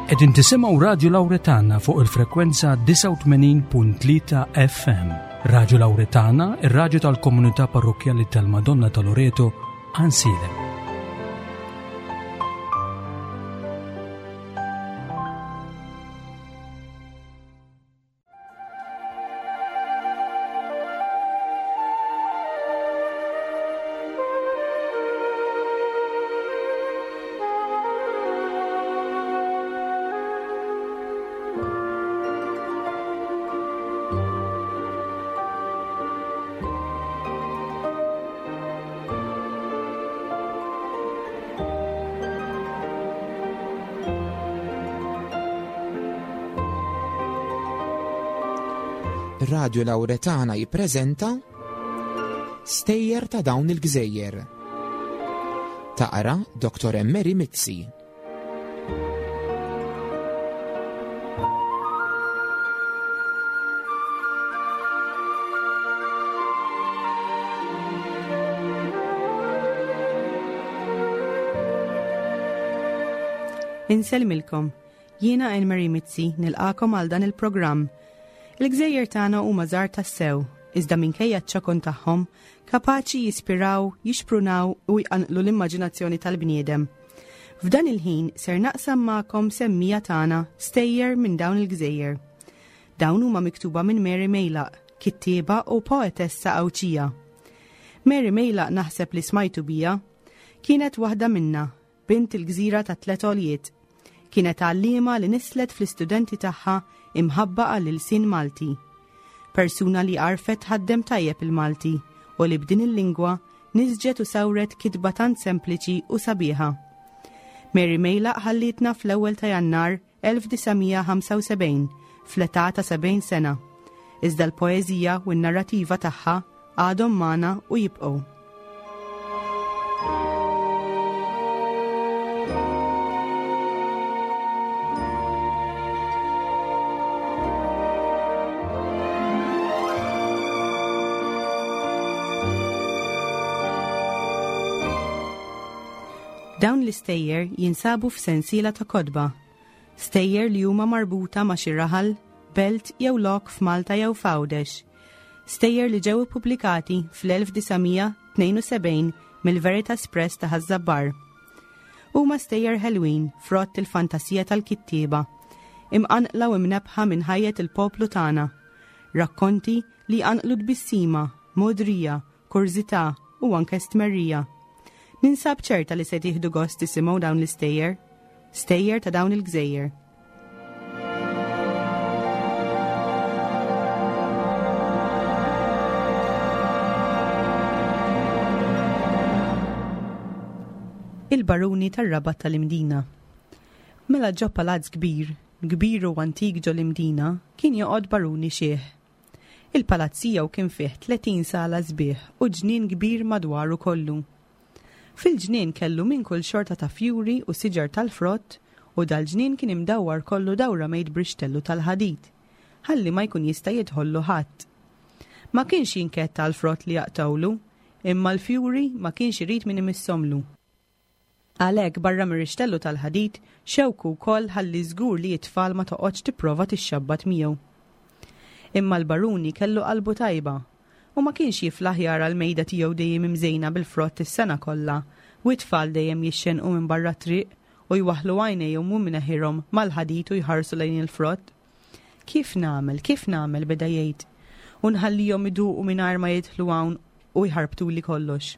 Qegħdin tisimgħu Radju Lawretana fuq il-frekwenza 89.3 FM. Radju Lawretana, ir-radju tal-komunità parrokkjali tal-Madonna ta' Loreto, Ansilem. Radio Lauretana jippreżenta Stejjer ta' dawn il-gżejjer. Taqra Dr. Emery Mizzi. Insellmilkom. Jiena Anne-Marie Mizzi nilqakom għal dan il-programm. Il-gżejjer tagħna huma żgħar tassew, iżda minkejja ċ-ċokon tagħhom, kapaċi jispiraw, jixprunaw u jqanqlu l-immaġinazzjoni tal-bniedem. F'dan il-ħin ser naqsam magħkom semmija tagħna stejjer minn dawn il-gżejjer. Dawn huma miktuba minn Mary Mejlaq, kittieba u poetessa Għawdxija. Mary Mejlaq naħseb li smajtu bija. Kienet waħda minna, bint il-gżira ta' tlet għoljiet. Kienet għalliema li nislet fl-istudenti tagħha imħabba għall-ilsien Malti. Persuna li għarfet tħaddem tajjeb il-Malti u li b'din il-lingwa nisġet u sawret kitba tant sempliċi u sabiħa. Mary Mejlaq ħallietna fl-ewwel ta' Jannar 1975 fl-età ta' 70 sena. Iżda l-poeżija u n-narrativa tagħha għadhom magħna u jibqgħu. Dawn l-istejjer jinsabu f'sensiela ta' kotba, stejjer li huma marbuta ma' xi raħal, belt jew lok f'Malta jew f'Għawdex. Stejjer li ġew ippubblikati fl-1972 mill-Veritas Press ta' Ħaż-Żabbar. Huma stejjer ħelwin frott il-fantasija tal-kittieba, imqanqla u imnebbħa minn ħajjet il-poplu tagħna. Rakkonti li jqanqlu tbissima, mogħdrija, kurżità u anke stmerrija. Ninsab ċerta li se tieħdu gost tisimgħu dawn l-istejjer. Stejjer ta' dawn il-gżejjer. Il-Baruni tar-Rabat tal-Imdina. Mela ġo palazz kbir, kbir u antik ġo l-Imdina, kien joqgħod baruni xiħ. Il-palazz tiegħu kien fih 30 sala sbieħ u ġnien kbir madwaru kollu. Fil-ġnien kellu minn kull xorta ta' fjuri u siġar tal-frott u dal-ġnien kien imdawwar kollu dawra mejt b'rixtellu tal-ħadid, ħalli ma jkun jista' jidħollu ħadd. Ma kienx jinkedd għall-frott li jaqtgħulu, imma l-fjuri ma kienx irid min imissomlu. Għalhekk barra mir-rixtellu tal-ħadid, xewku wkoll ħalli żgur li t-tfal ma toqgħodx tipprova tixxabbat miegħu. Imma l-baruni kellu qalbu tajba u ma kienx jiflaħ jara l-mejda tiegħu dejjem imżejna bil-frott is-sena kollha u t-tfal dejjem jixxenqu minn barra t-triq u jwaħħlu għajnejhom u mneħirhom mal-ħadid u jħarsu lejn il-frott. Kif nagħmel, kif nagħmel, beda jgħid, u nħallihom iduqu mingħajr ma jidħlu hawn u jħarbtuli kollox.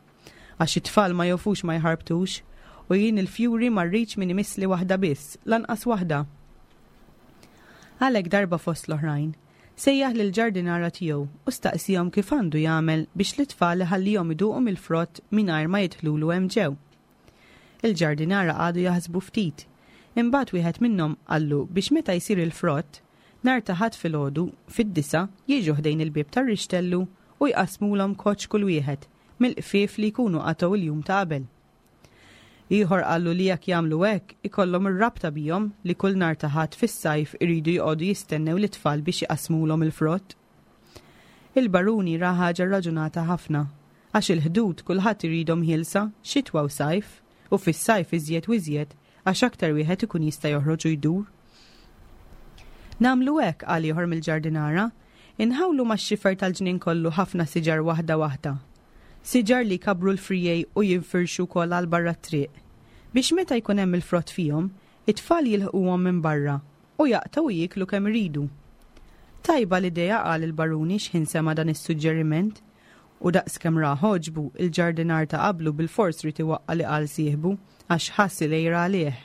Għax it-tfal ma jofux ma jħarbtux, u jien il-fjuri ma rridx min imissli waħda biss, lanqas waħda. Għalhekk darba fost l-oħrajn, sejjaħ lill-ġardinara tiegħu u staqsihom kif għandu jagħmel biex lit-tfal iħallihom iduqu mill-frott mingħajr ma jidħlulu hemm ġew. Il-ġardinara qagħdu jaħsbu ftit. Imbagħad wieħed minnhom qallu biex meta jsir il-frott, nhar ta' Ħadd filgħodu, fid-disgħa, jiġu ħdejn il-bieb tar-rixtellu u jqassmulhom koċċ kull wieħed mill-qfief li jkunu qatgħu l-jum ta' qabel. Ieħor qallu li jekk jagħmlu hekk, ikollhom ir-rabta bihom li kull nhar ta' Ħadd fis-sajf iridu joqogħdu jistennew lit-tfal biex iqassmulhom il-frott. Il-baruni ra ħaġa rraġunata ħafna, għax il-ħdud kulħadd iridhom ħielsa, xitwa u sajf, u fis-sajf iżjed u iżjed, għax aktar wieħed ikun jista' joħroġ u jdur. Nagħmlu hekk, qal ieħor mill-ġardinara, inħawlu max-xifer tal-ġnien kollu ħafna siġar waħda waħda. Siġar li jkabbru l-friegħi u jinfirxu wkoll għal barra t-triq, biex meta jkun hemm il-frott fihom, it-tfal jilħquhom minn barra u jaqtgħu u jieklu kemm iridu. Tajba l-idea, qal il-baruni x'ħin sema' dan is-suġġeriment. U daqskemm rah għoġbu, il-ġardinar ta' qablu bilfors ried iwaqqa' li qal sieħbu, għax ħass il-għira għalih.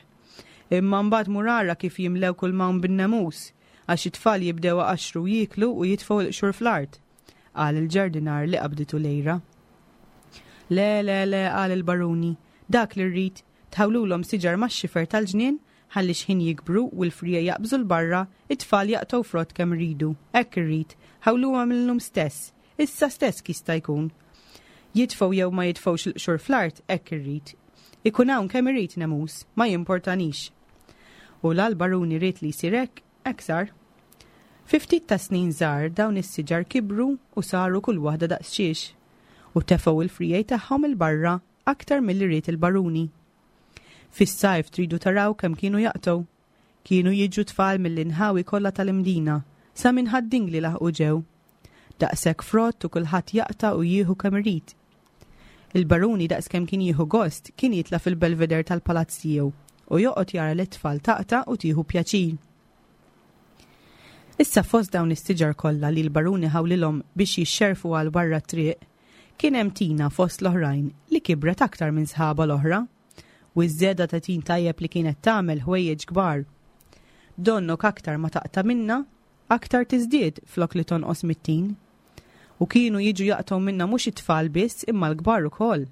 Imma mbagħad mur ara kif jimlew kull m'hawn bin-nemus, għax it-tfal jibdew iqaxxru u jieklu u jitfgħu l-qxur fl-art, qal il-ġardinar li qabditu l-għira. Le, le, le, qal il-baruni, dak li rrid, tħawlulhom siġar max-xifer tal-ġnien ħalli x'ħin jikbru u l-friegħi jaqbżu 'l barra, it-tfal jaqtgħu frott kemm iridu. Hekk irrid, ħawluha mil-lum stess, Issa stess jista' jkun. Jitfgħu jew ma jitfgħux il-qxur fl-art, hekk irrid. Ikun hawn kemm irid nemus, ma jimportanix. U la l-baruni ried li jsir hekk, hekk sar. Fi ftit ta' snin żgħar dawn is-siġar kibru u saru kull waħda daqs xiex, u tefgħu l-friegħi tagħhom 'il barra aktar milli ried il-baruni. Fis-sajf tridu taraw kemm kienu jaqtgħu. Kienu jiġu tfal mill-inħawi kollha tal-Imdina, sa minn Ħad-Dingli laħqu ġew. Daqshekk frott u kulħadd jaqta' u jieħu kemm irid. Il-baruni daqskemm kien jieħu gost kien jitla' fil-belveder tal-palazz tiegħu u joqgħod jara lit-tfal taqta' u tieħu pjaċir. Issa fost dawn is-siġar kollha li l-baruni ħawlilhom biex jixxerfu għal barra t-triq, kien hemm tina fost l-oħrajn li kibret aktar minn sħabha l-oħra. U ż-żieda ta' tin tajjeb li kienet tagħmel ħwejjeġ kbar. Donnok aktar ma taqta' minnha, aktar tiżdied flok li tonqos mit-tin. U kienu jiġu jaqtgħu minnha mhux it-tfal biss imma l-kbar ukoll.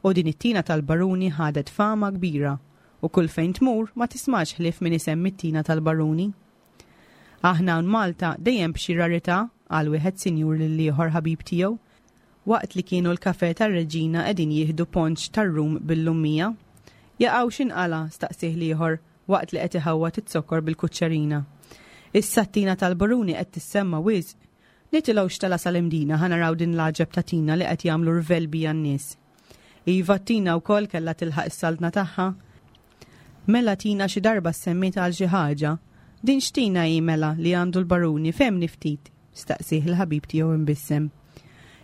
U din it-tina tal-baruni ħadet fama kbira u kull fejn tmur ma tismax ħlief min isemmi t-tina tal-baruni. Aħna hawn Malta dejjem b'xi rarità, qal wieħed sinjur lil ieħor ħabib tiegħu, waqt li kienu l-kafè tar-Reġina qegħdin jieħdu ponċ tar-rum bil-lummija. Jaqaw x'inqala'? staqsieh l-ieħor waqt li qed iħawwad iz-zokkor bil-kuċċerina. Issa t-tina tal-baruni qed tissemma wisq. Nitilgħu xtala sal-Imdina ħa naraw din l-għaġeb ta' tina li qed jagħmlu rvell bija n-nies. Iva t-tina wkoll kellha tilħaq is-saltna tagħha. Mela tina xi darba ssemmiet għal xi ħaġa. Din x'tina hi mela li għandu l-baruni fehmni ftit? staqsieh il-ħabib tiegħu imbissem.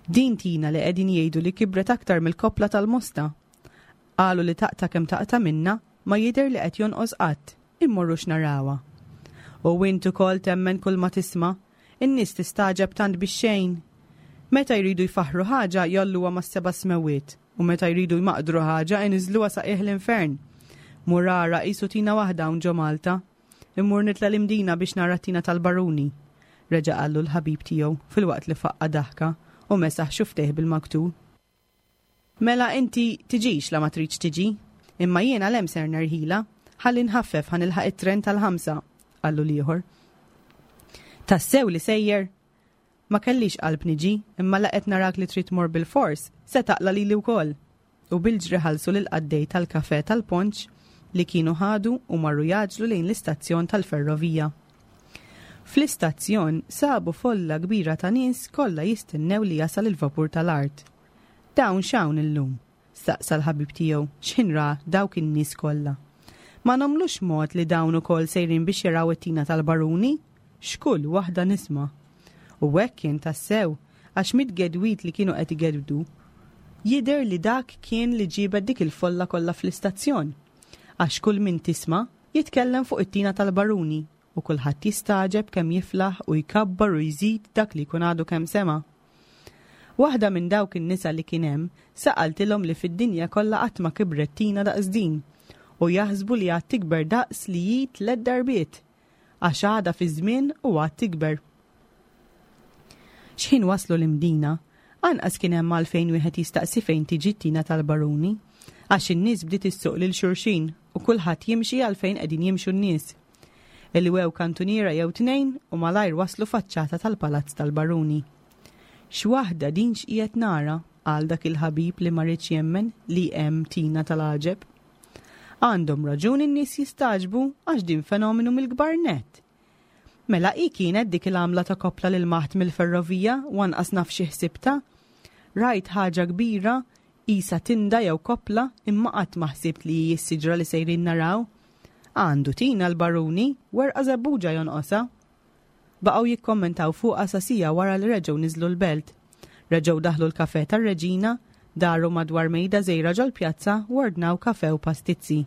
Din tina li qegħdin jgħidu li kibret aktar mill-koppla tal-mosta. Qalu li taqta' kemm taqta' minnha ma jidher li qed jonqos qatt. Immorrux narawha. U int ukoll temmen kull ma tisma'. In-nies tistagħġeb tant bix-xejn. Meta jridu jfaħħru ħaġa jgħolluha mas-seba' smewwiet u meta jridu jmaqdru ħaġa iniżżluha sa qiegħ l-infern. Mur ara qisu tina waħda hawn ġo Malta. Immur nitla' l-Imdina biex nara t-tina tal-baruni. Reġa' qallu l-ħabib tiegħu filwaqt li faqqa' daħka u mesaħ xufftejh bil-maktur. Mela inti tiġix la ma tridx tiġi. Imma jiena 'l hemm ser nerħilha. Ħalli nħaffef ħa nilħaq it-tren tal-ħamsa, qallu l-ieħor. Tassew li sejjer? Ma kellix qalb niġi, imma la qed narak li trid tmur bilfors, se taqla' lili wkoll. U bil-ġri ħallsu lill-qaddej tal-kafè tal-Ponċ li kienu ħadu u marru jgħaġġlu lejn l-istazzjon tal-ferrovija. Fl-istazzjon sabu folla kbira ta' nies kollha jistennew li jasal il-vapur tal-art. Dawn x'hawn illum? staqsa l-ħabib tiegħu x'ħin ra dawk in-nies kollha. Ma nagħmlux mod li dawn ukoll sejrin biex jaraw it-tina tal-baruni? X'kull waħda nisma'. U hekk kien tassew, għax mit-tgedwid li kienu qed igedwdu, jidher li dak kien li ġiebet dik il-folla kollha fl-istazzjon. Għax kull min tisma' jitkellem fuq it-tina tal-baruni u kulħadd jistagħġeb kemm jiflaħ u jkabbar u jżid dak li jkun għadu kemm sema'. Waħda minn dawk in-nisa li kien hemm sa qaltilhom li fid-dinja kollha qatt ma kibret tina daqs din u jaħsbu li għad tikber daqs li hi tlett darbiet għax għadha fiż-żmien u għad tikber. X'ħin waslu l-Imdina, anqas kien hemm għalfejn wieħed jistaqsi fejn tiġi t-tina tal-baruni, għax in-nies bdiet issuq lil xulxin u kulħadd jimxi għal fejn qegħdin jimxu n-nies. Ilwew kantuniera jew tnejn u malajr waslu faċċata tal-palazz tal-baruni. X'waħda din x'qiegħed nara, qal dak il-ħabib li ma riedx jemmen li hemm tina tal-għaġeb. Għandhom raġun in-nies jistagħġbu għax din fenomenu mill-kbar nett. Mela hi kienet dik il-għamla ta' koppla li lmaħt mill-ferrovija u anqas naf xi ħsibtha. Rajt ħaġa kbira qisha tinda jew koppla imma qatt ma ħsibt li hi s-siġra li sejrin naraw. Għandu tina l-baruni, werqa żebbuġa jonqosha. Baqgħu jikkommentaw fuqha sa siegħa wara li reġgħu niżlu l-belt. Reġgħu daħlu l-kafè tar-Reġina, daru madwar mejda żgħira ġol-pjazza u ordnaw kafè u pastizzi.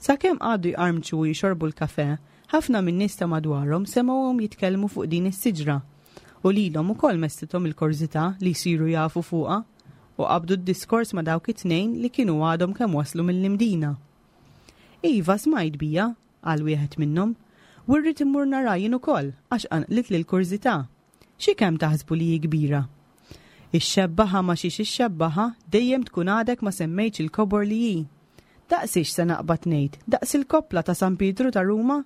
Sakemm qagħdu jqarmċu u jixorbu l-kafè, ħafna min-nies ta' madwarhom semgħuhom jitkellmu fuq din is-siġra. U lilhom ukoll messithom il-kurżità li jsiru jafu fuqha u qabdu d-diskors ma' dawk it-tnejn li kienu għadhom kemm waslu mill-Imdina. Iva, smajt biha, qal wieħed minnhom. U rrid immur nara jien ukoll għax qanqlitli l-kurżità. Xi kemm taħsbu li hi kbira? Ixxebbaha ma' xiex ixxebbaha, dejjem tkun għadek ma semmejtx il-kobor li hi. Daqsiex se naqbad ngħid, daqs il-koppla ta' San Pietru ta' Ruma?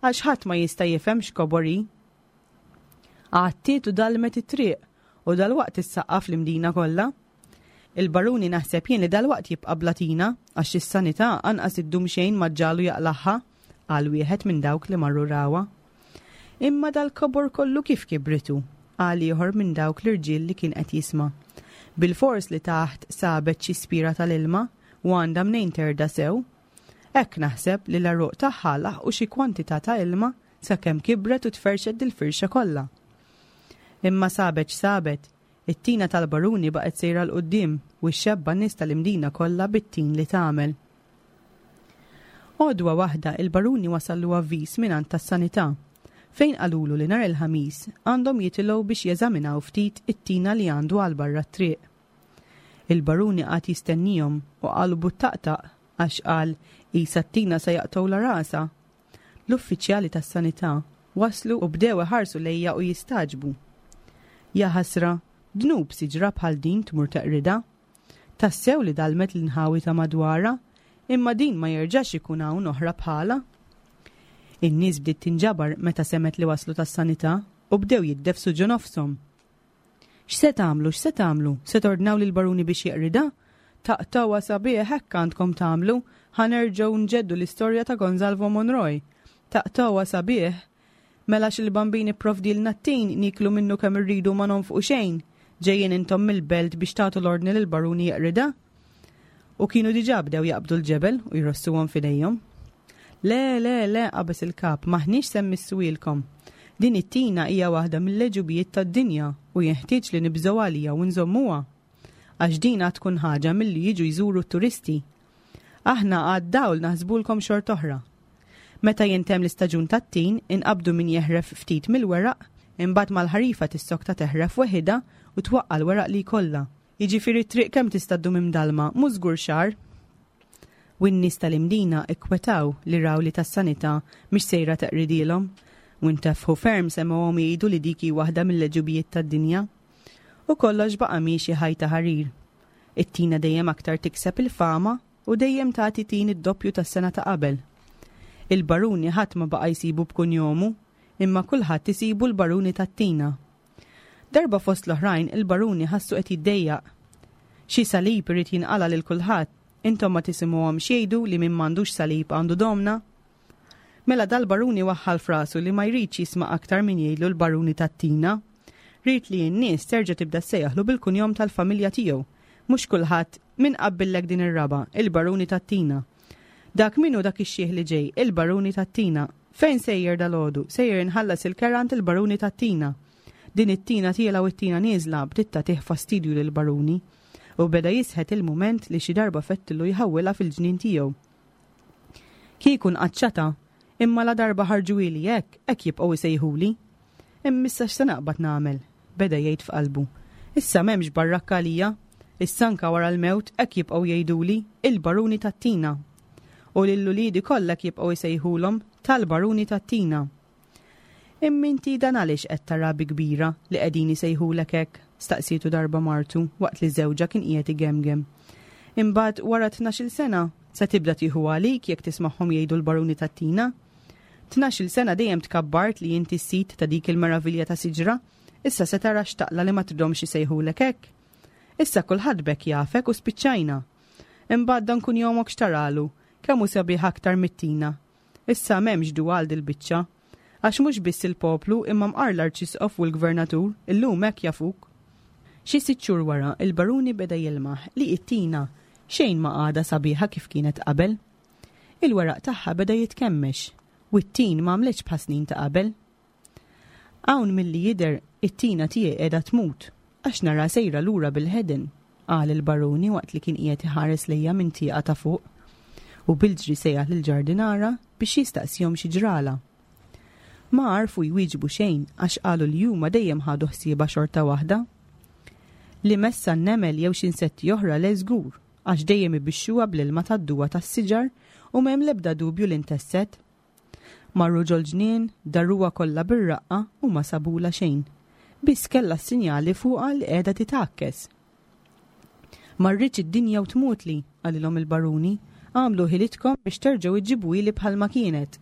Għax ħadd ma jista' jifhem x'kobor hi. Għattiet u dalmet it-triq u dalwaqt issaqqaf l-Imdina kollha. Il-baruni naħseb jien li dalwaqt jibqa' bla tina għax is-sanità anqas iddum xejn ma ġġagħlu jaqlagħha, qal wieħed minn dawk li marru rawha. Imma dal-kobor kollu kif kibritu? qal ieħor minn dawk l-irġiel li kien qed jisma'. Bilfors li taħt sabet xi spira tal-ilma u għandha mnejn terda sew. Hekk naħseb li l-għeruq tagħha laħqu xi kwantità ta' ilma sakemm kibret u tferrxet dil-firxa kollha. Imma sabet x'sabet, it-tina tal-baruni baqgħet sejra 'l quddiem u xxebba' n-nies tal-Imdina kollha bit-tin li tagħmel. Għodwa waħda il-baruni wasallu avviż mingħand tas-sanità, fejn qalulu li nhar il-Ħamis għandhom jitilgħu biex jeżaminaw ftit it-tina li għandu għal barra t-triq. Il-baruni qagħad jistennihom u qalbu ttaqtaq għax qal qisha t-tina se jaqtgħulha rasha. L-uffiċjali tas-sanità waslu u bdew iħarsu lejja u jistagħġbu. Jaħasra, dnub siġra bħal din tmur teqridha. Tassew li dalmet l-inħawi ta' madwarha, imma din ma jerġax ikun hawn oħra bħalha. In-nies bdiet tinġabar meta semgħet li waslu tas-sanità u bdew jiddefsu ġo nofshom. X'se tagħmlu, x'se tagħmlu? Se tordnaw lill-baruni biex jeqridha? Taqtgħuha sabiħ hekk għandkom tagħmlu, ħa nerġgħu nġeddu l-istorja ta' Gonzalvo Monroy. Taqtgħuha sabiħ! Mela għax il-Bambin ipprovdielna t-tin, nieklu minnu kemm irridu u ma nonfqu xejn? Ġejjin intom mill-belt biex tagħtu l-ordni lill-baruni jeqridha? U kienu diġà bdew jaqbdu l-ġebel u jrossuhom f'idejhom. Le, le, le, qabeż il-kap, m'aħniex se mmissuhielkom. Din it-tina hija waħda mill-għeġubijiet tad-dinja u jenħtieġ li nibżgħu għaliha u nżommuha. Għax din għad tkun ħaġa milli jiġu jżuru t-turisti. Aħna għad-dawl naħsbulkom xort'oħra. Meta jintemm l-istaġun tat-tin, inqabbdu min jeħref ftit mill-weraq, imbagħad mal-ħarifa tissokta teħref weħidha u twaqqa' l-weraq li jkollha. Jiġifieri t-triq kemm tista' ddum imdallma, mhux żgur xahar. U n-nies tal-Imdina kkwetaw li raw li tas-sanità mhix sejra teqridilhom, u ntefħu ferm semgħuhom jgħidu li dik hi waħda mill-għeġubijiet tad-dinja. U kollox baqa' miexi ħajta ħarir. It-tina dejjem aktar tikseb il-fama u dejjem tagħti tin id-doppju tas-sena ta' qabel. Il-baruni ħadd ma baqa' jsibu b'kunjomu, imma kulħadd isibu l-baruni tat-tina. Darba fost l-oħrajn il-baruni ħassu qed jiddejjaq. Xi salib irid jinqala' lil kulħadd, intom ma tisimgħuhomx jgħidu li min m'għandux salib għandu domna? Mela dal-baruni waħħal f'rasu li ma jridx jisma' aktar min jgħidlu l-baruni tat-tina. Ried li n-nies terġa' tibda ssejjaħlu bil-kunjom tal-familja tiegħu. Mhux kulħadd, min qabbillek din ir-raba', il-baruni tat-tina. Dak min hu dak ix-xiħ li ġej, il-baruni tat-tina. Fejn sejjer dalgħodu? Sejjer inħallas il-kera għand il-baruni tat-tina. Din it-tina tiela' u t-tina nieżla bdiet tagħtih fastidju lill-baruni. U beda jisħet il-mument li xi darba fettillu jħawwilha fil-ġnien tiegħu. Kieku nqaċċatha, imma ladarba ħarġuhieli hekk, hekk jibqgħu jsejħuli. Imma issa x'se naqbad nagħmel? Beda jgħid f'qalbu. Issa m'hemmx barrakka għalija. Issa anka wara l-mewt hekk jibqgħu jgħiduli, il-baruni tat-tina. U lil uliedi kollha hekk jibqgħu jsejħulhom, tal-baruni tat-tina. Imma inti dan għaliex qed tara bi kbira li qegħdin isejħulek hekk? staqsietu darba martu waqt li żewġha kien qiegħed igemgem. Imbagħad wara tnax-il sena, se tibda tieħu għalik jekk tismagħhom jgħidu l-baruni tat-tina? Tnax-il sena dejjem tkabbart li inti s-sid ta' dik il-meravilja ta' siġra, issa se tara x'taqla' li ma tridhomx isejħulek hekk? Issa kulħadd b'hekk jafek u spiċċajna. Imbagħad dan kunjomok x'taralu, kemm hu sabiħ aktar mit-tina. Issa m'hemmx dua għal dil-biċċa. Għax mhux biss il-poplu imma mqar l-Arċisqof u l-Gvernatur illum hekk jafuk. Xi sitt xhur wara il-Baruni beda jilmaħ li t-tina xejn ma għadha sabiħa kif kienet qabel. Il-weraq tagħha beda jitkemmex u t-tin m'għamlitx bħas-snin ta' qabel. Hawn milli jidher it-tina tiegħi qiegħda tmut għax nara sejra lura bil-ħeden, qal il-baruni waqt li kien qiegħed iħares lejha minn tieqa ta' fuq. U bil-ġri sejjaħ lill-ġardinara biex jistaqsihom xi ġralha. Ma għarfu jwieġbu xejn għax qalu li huma dejjem ħadu ħsiebha xorta waħda. Li messha n-nemel jew xi insetti oħra le żgur, għax dejjem ibixxuha bl-ilma tad-duwa tas-siġar u m'hemm l-ebda dubju li ntesset. Marru ġol-ġnien, daruha kollha bir-raqqa u ma sabulha xejn. Biss kellha s-sinjali fuqha li qiegħda titgħakkes. Ma rridx id-dinja u tmutli, qalilhom il-baruni, agħmlu ħilitkom biex terġgħu iġġibuhieli bħalma kienet.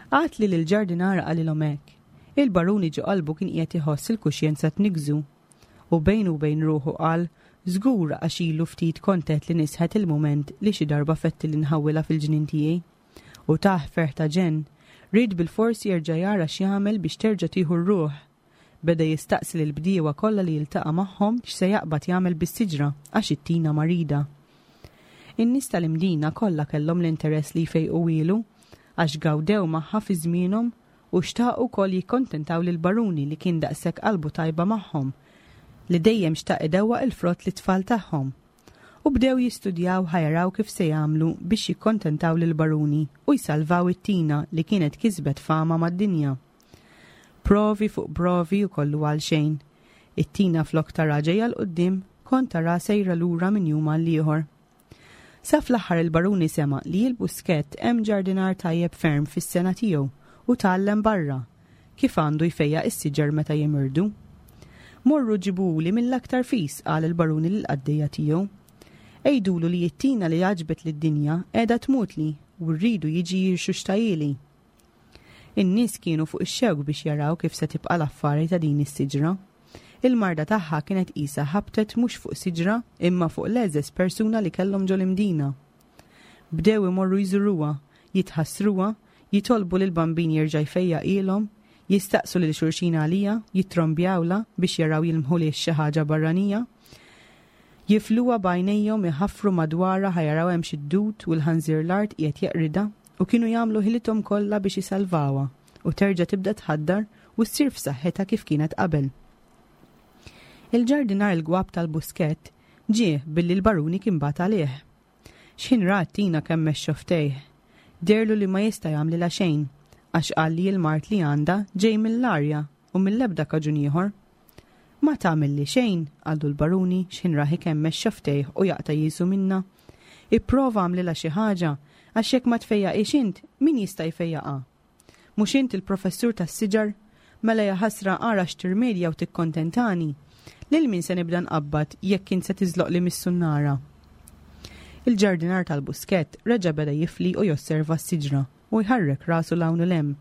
Għad li lill-ġardinara qalilhom hekk, il-baruni ġo qalbu kien qiegħed iħoss il-kuxjenza tniggżu. U bejnu u bejn ruħu qal, Żgur għax ilu ftit kont għedt li nisħet il-mument li xi darba fettili nħawwilha fil-ġnien tiegħi. U tah ferħ ta' ġenn. Ried bilfors jerġa' jara x'jagħmel biex terġa' tieħu r-ruħ. Beda jistaqsi lill-bdiewa kollha li jiltaqa' magħhom x'se jaqbad jagħmel bis-siġra għax it-tina marida. In-nies tal-Imdina kollha kellhom l-interess li jfejquhielu għax gawdew magħha fi żmienhom u xtaqu wkoll jikkontentaw lill-baruni li kien daqshekk qalbu tajba magħhom, li dejjem xtaq idewwaq il-frott lit-tfal tagħhom. U bdew jistudjaw ħa jaraw kif se jagħmlu biex jikkontentaw lill-baruni u jsalvaw it-tina li kienet kisbet fama mad-dinja. Provi fuq provi u kollu għal xejn. It-tina flok tara ġejja 'l quddiem, kont tara sejra lura minn jum għal ieħor. Sa fl-aħħar il-baruni sema' li il-Buskett hemm ġardinar tajjeb ferm fis-sengħa tiegħu u tgħallem barra, kif għandu jfejjaq is-siġar meta jimirdu. Morru ġibuhuli mill-aktar fis, qal il-baruni lill-qaddejja tiegħu. Għidulu li it-tina li għaġbet lid-dinja qiegħda tmutli u rridu jiġi jirxuxtahieli. In-nies kienu fuq ix-xewk biex jaraw kif se tibqa' l-affari ta' din is-siġra. Il-marda tagħha kienet qisha ħabtet mhux fuq siġra imma fuq l-egħżeż persuna li kellhom ġol-Imdina. Bdew imorru jżuruha, jitħassruha, jitolbu lill-Bambin jerġa' jfejjaqhielhom, jistaqsu lil xulxin għaliha, jittrombjawlha biex jaraw jilmħulhiex xi ħaġa barranija. Jifluha b'għajnejhom iħaffru madwarha ħa jaraw hemmx id-dud u l-ħanżir l-art qiegħed jeqridha u kienu jagħmlu ħilithom kollha biex isalvawha u terġa' tibda tħaddar u ssir f'saħħitha kif kienet qabel. Il-ġardinar il-gwapp tal-Buskett ġie billi l-baruni kien bagħat għalih. X'ħin ra t-tina kemmex xofftejh. Dehrlu li ma jista' jagħmlilha xejn għax qal li l-mard li għandha ġej mill-arja u mill-ebda kaġun ieħor. Ma tagħmilli xejn, qallu l-baruni x'ħin rah ikemmex xofftejh u jaqta' jiesu minnha. Ipprova agħmlilha xi ħaġa, għax jekk ma tfejjaqhiex int, min jista' jfejjaqha? Mhux int il-professur tas-siġar? Mela jaħasra ara x'tirmedja u tikkontentani! Lil min se nibda nqabbad jekk int se tiżloqli mis-sunnara? Il-ġardinar tal-Buskett reġa' beda jifli u josserva s-siġra u jħarrek rasu 'l hawn u 'l hemm.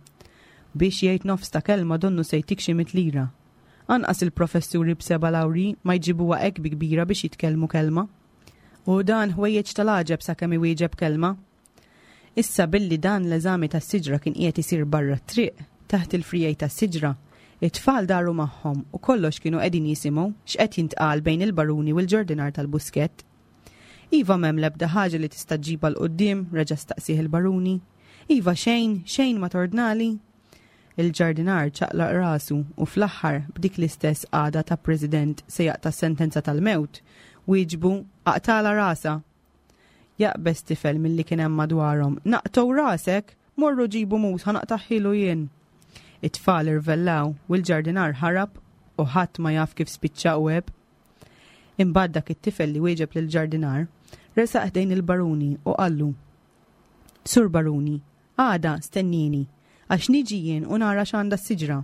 Biex jgħid nofs ta' kelma donnu se jtik xi mitt lira. Anqas il-professuri b'seba' lawrji ma jġibuha hekk bi kbira biex jitkellmu kelma. U dan ħwejjeġ tal-għaġeb sakemm iwieġeb kelma. Issa billi dan l-eżami tas-siġra kien qiegħed isir barra t-triq, taħt il-friegħi tas-siġra, it-tfal daru magħhom u kollox kienu qegħdin jisimgħu x'qed jintqal bejn il-baruni u l-ġordinar tal-Buskett. Iva m'hemm l-ebda ħaġa li tista' ġġibha 'l quddiem, reġa' staqsieh il-baruni. Iva xejn, xejn ma tordnali? Il-ġardinar ċaqlaq rasu u fl-aħħar, b'dik l-istess qagħda ta' president se jaqta' s-sentenza tal-mewt, wieġbu, Aqtagħlha rasha! Jaqbeż tifel milli kien hemm madwarhom, Naqtgħu rasek! Morru ġibu mus ħa naqtagħhielu jien! It-tfal irvellaw u l-ġardinar ħarab u ħadd ma jaf kif spiċċa u għeb. Imbagħad dak it-tifel li wieġeb lill-ġardinar resaq ħdejn il-baruni u qallu, Sur Baruni, għada stennini, għax niġi jien u nara x'għandha s-siġra.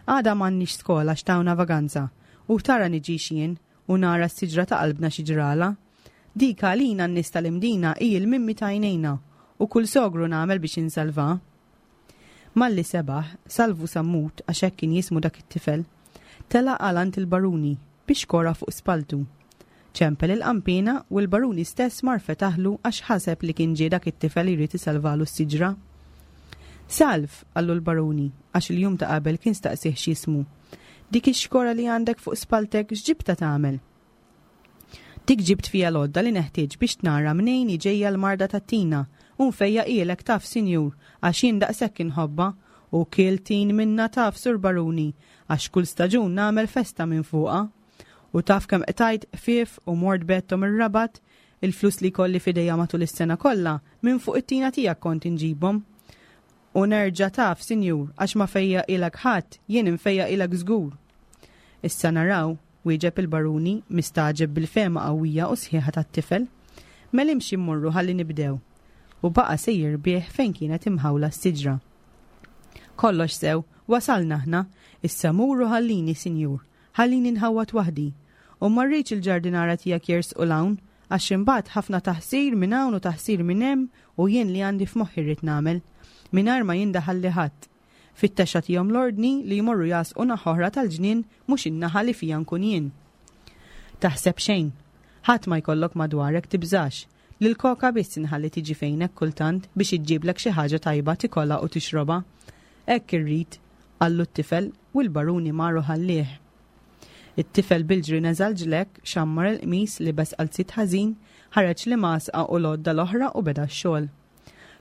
Għada m'għandniex skola għax tawna vaganza, u tara niġix jien u nara s-siġra ta' qalbna xi ġralha. Dik għalina n-nies tal-Imdina hi l-mimmi ta' għajnejna u kull sogru nagħmel biex insalvha. Malli sebaħ, Salvu Sammut, għax hekk kien jismu dak it-tifel, telaq għal għand il-baruni biex kora fuq spalltu. Ċempel il-qanpiena u l-baruni stess mar fetaħlu għax ħaseb li kien ġie dak it-tifel jrid isalvalu s-siġra. Salv, qallu l-baruni, għax il-jum ta' qabel kien staqsieh x'jismu. Dik ix-xkora li għandek fuq spalltek x'ġibtha tagħmel? Dik ġibt fiha l-għodda li neħtieġ biex nara mnejn hi ġejja l-marda tat-tina U nfejjaqhielek taf, sinjur, għax jien daqshekk inħobbha. U kiel tin minnha taf, Sur Baruni, għax kull staġun nagħmel festa minn fuqha. U taf kemm qtajt qfief u mort bgħedthom ir-Rabat, il-flus li jkolli f'idejja matul is-sena kollha, minn fuq it-tina tiegħek kont inġibhom. U nerġa' taf, sinjur, għax ma fejjaqilek ħadd, jien infejjaqilek żgur. Issa naraw, wieġeb il-baruni, mistagħġeb bil-fehma qawwija u sħiħa tat-tifel. Mela imxi mmorru ħalli nibdew. U baqa' sejjer bih fejn kienet imħawla s-siġra. Kollox sew, wasalna aħna, issa mur u ħallini, sinjur. Ħallini nħawwad waħdi. U ma rridx il-ġardinara tiegħek jersqu 'l hawn, għax imbagħad ħafna taħsir minn hawn u taħsir minn hemm u jien li għandi f'moħħi rrid nagħmel. Mingħajr ma jindaħalli ħadd. Fittex agħtihom l-ordni li jmorru jagħsqu naħa oħra tal-ġnien mhux in-naħa li fiha nkun jien. Taħseb xejn. Ħadd ma jkollok madwarek tibżax. Lil Koka biss inħalli tiġi fejnek kultant biex iġġiblek xi ħaġa tajba tikolha u tixrobha. Hekk irrid, qallu t-tifel u l-baruni mar u ħallieh. It-tifel bil-ġri neża' l-ġlekk, xammar il-qmis, libes qalziet ħażin, ħareġ l-imgħasqa u l-għodda l-oħra u beda x-xogħol.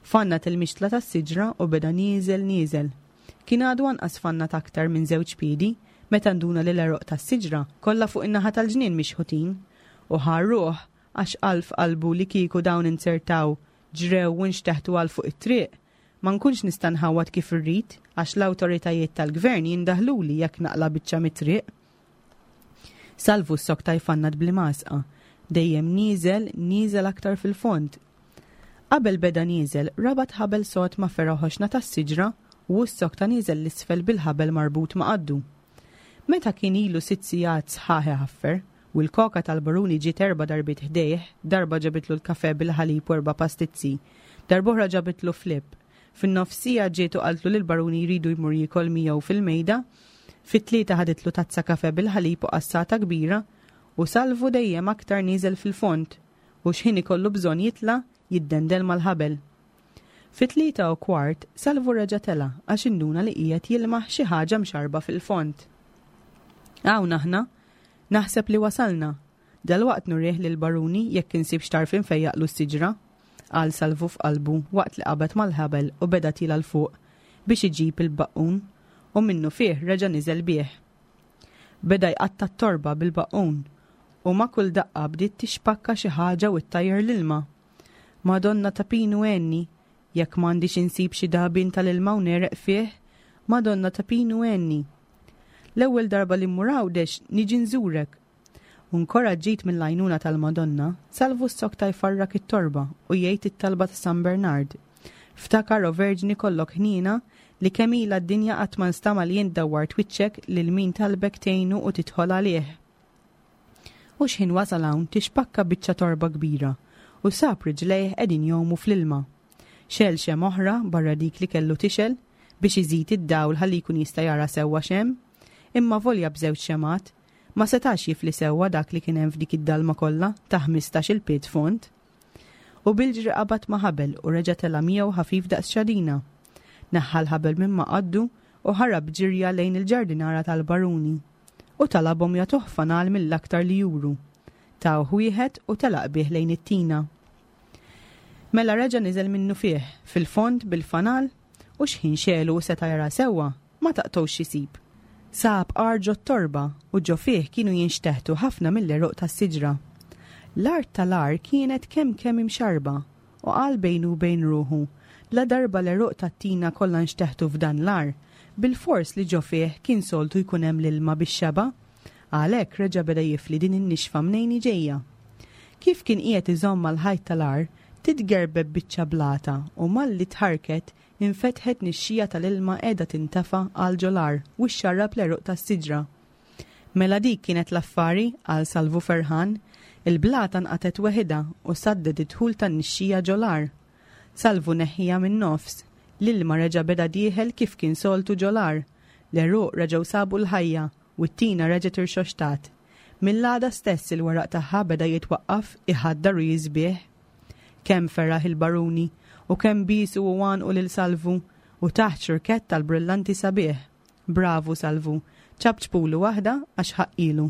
Fannat il-mixtla tas-siġra u beda nieżel nieżel. Kien għadu anqas fannat aktar minn żewġ piedi meta nduna li l-għeruq tas-siġra kollha fuq in-naħa tal-ġnien mixħutin u ħa r-ruħ għax qal f'qalbu li kieku dawn inzertaw, ġrew u nxteħtu għal fuq it-triq, ma nkunx nista' nħawwad kif irrid għax l-awtoritajiet tal-gvern jindaħluli jekk naqla' biċċa mit-triq. Salvu ssokta jfannad bl-imgħasqa, dejjem nieżel, nieżel aktar fil-fond. Qabel beda nieżel, rabat ħabel sod ma' fergħa ħoxna tas-siġra u hu ssokta nieżel 'l isfel bil-ħabel marbut ma' qaddu. Meta kien ilu sitt sigħat sħaħ iħaffer, u l-koka tal-baruni ġiet erba' darbiet ħdejh, darba ġabitlu l-kafè bil-ħalib u erba' pastizzi, darb'oħra ġabitlu flip. Fin-nofs siegħa ġiet u qaltlu li l-baruni jridu jmur jiekol miegħu fil-mejda, fit-tlieta ħaditlu tazza kafè bil-ħalib u qassata kbira, u Salvu dejjem aktar nieżel fil-fond, u x'ħin ikollu bżonn jitla', jiddendel mal-ħabel. Fit-3:15, Salvu reġa' tela' għax induna li qiegħed jilmaħ xi ħaġa mxarrba fil-fond. Hawn aħna! Naħseb li wasalna. Dalwaqt nurih lill-baruni jekk insibx tarf infejjaqlu s-siġra, qal Salvu f'qalbu waqt li qabad mal-ħabel u beda tiela' 'l fuq biex iġib il-baqqun u minnufih reġa' niżel bih. Beda jqatta' t-torba bil-baqqun u ma' kull daqqa bdiet tixpakka xi ħaġa u ttajjar l-ilma. Madonna ta' Pinu għenni, jekk m'għandix insib xi dagħbien tal-ilma u negħreq fih, Madonna ta' Pinu għenni. L-ewwel darba li mmur Għawdex niġi nżurek. U nkoraġġit mill-għajnuna tal-Madonna, Salvu ssokta jfarrak it-torba u jgħid it-talba ta' San Bernard. Ftakar, o Verġni kollok ħniena, li kemm ilha d-dinja qatt ma nstama' li int dawwart wiċċek lil min talbek tgħinu u tidħol għalih. U x'ħin wasal hawn tixpakka biċċa torba kbira u sab riġlejh qegħdin jgħumu fl-ilma. Xegħel xemgħa oħra barra dik li kellu tixgħel biex iżid id-dawl ħalli jkun jista' jara sewwa x'hemm, imma volja b'żewġ xemgħat, ma setax jifli sewwa dak li kien hemm f'dik id-dalma kollha ta' ħmistax-il pied fond. U bil-ġri qabad ma' ħabel u reġa' tela' miegħu ħafif daqs xadina. Neħħa l-ħabel minn ma' qaddu u ħarab b'ġirja lejn il-ġardinara tal-baruni u talabhom jagħtuh fanal mill-aktar li juru. Tawh wieħed u telaq bih lejn it-tina. Mela reġa' niżel minnufih, fil-fond bil-fanal, u x'ħin xegħlu u seta' jara sewwa, ma taqtgħux x'isib. Sab għar ġot-torba u ġo fih kienu jinxteħtu ħafna mill-għeruq tas-siġra. L-art tal-għar kienet kemm kemm imxarrba u qal bejnu u bejn ruħu, Ladarba l-għeruq tat-tina kollha nxteħtu f'dan l-għar, bilfors li ġo fih kien soltu jkun hemm l-ilma bix-xeba'. Għalhekk reġa' beda jifli din in-nixfa mnejn hi ġejja. Kif kien qiegħed iżomm mal-ħajt tal-għar, titgerbeb biċċa blata u malli tħarrket, infetħet nixxija tal-ilma qiegħda tintefa' għal ġol-għar u xxarrab l-għeruq tas-siġra. Mela dik kienet l-affari, qal Salvu ferħan. Il-blata nqatgħet weħidha u saddet id-dħul tan-nixxija ġol-għar. Salvu neħħiha min-nofs. L-ilma reġa' beda dieħel kif kien soltu ġol-għar. L-għeruq reġgħu sabu l-ħajja u t-tina reġgħet irxoxtat. Mill-għada stess il-weraq tagħha beda jitwaqqaf, iħaddar u jisbieħ. Kemm feraħ il-baruni, u kemm biesu u għannqu lil Salvu, u tah ċurkett tal-brillanti sabiħ. Bravu Salvu, ċapċpulu waħda għax ħaqqilu.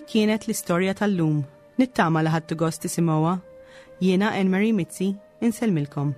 Dik kienet l-istorja tal-lum. Nittama li ħadtu gost tisimgħuha. Jiena Anne Marie Mizzi, insellmilkom.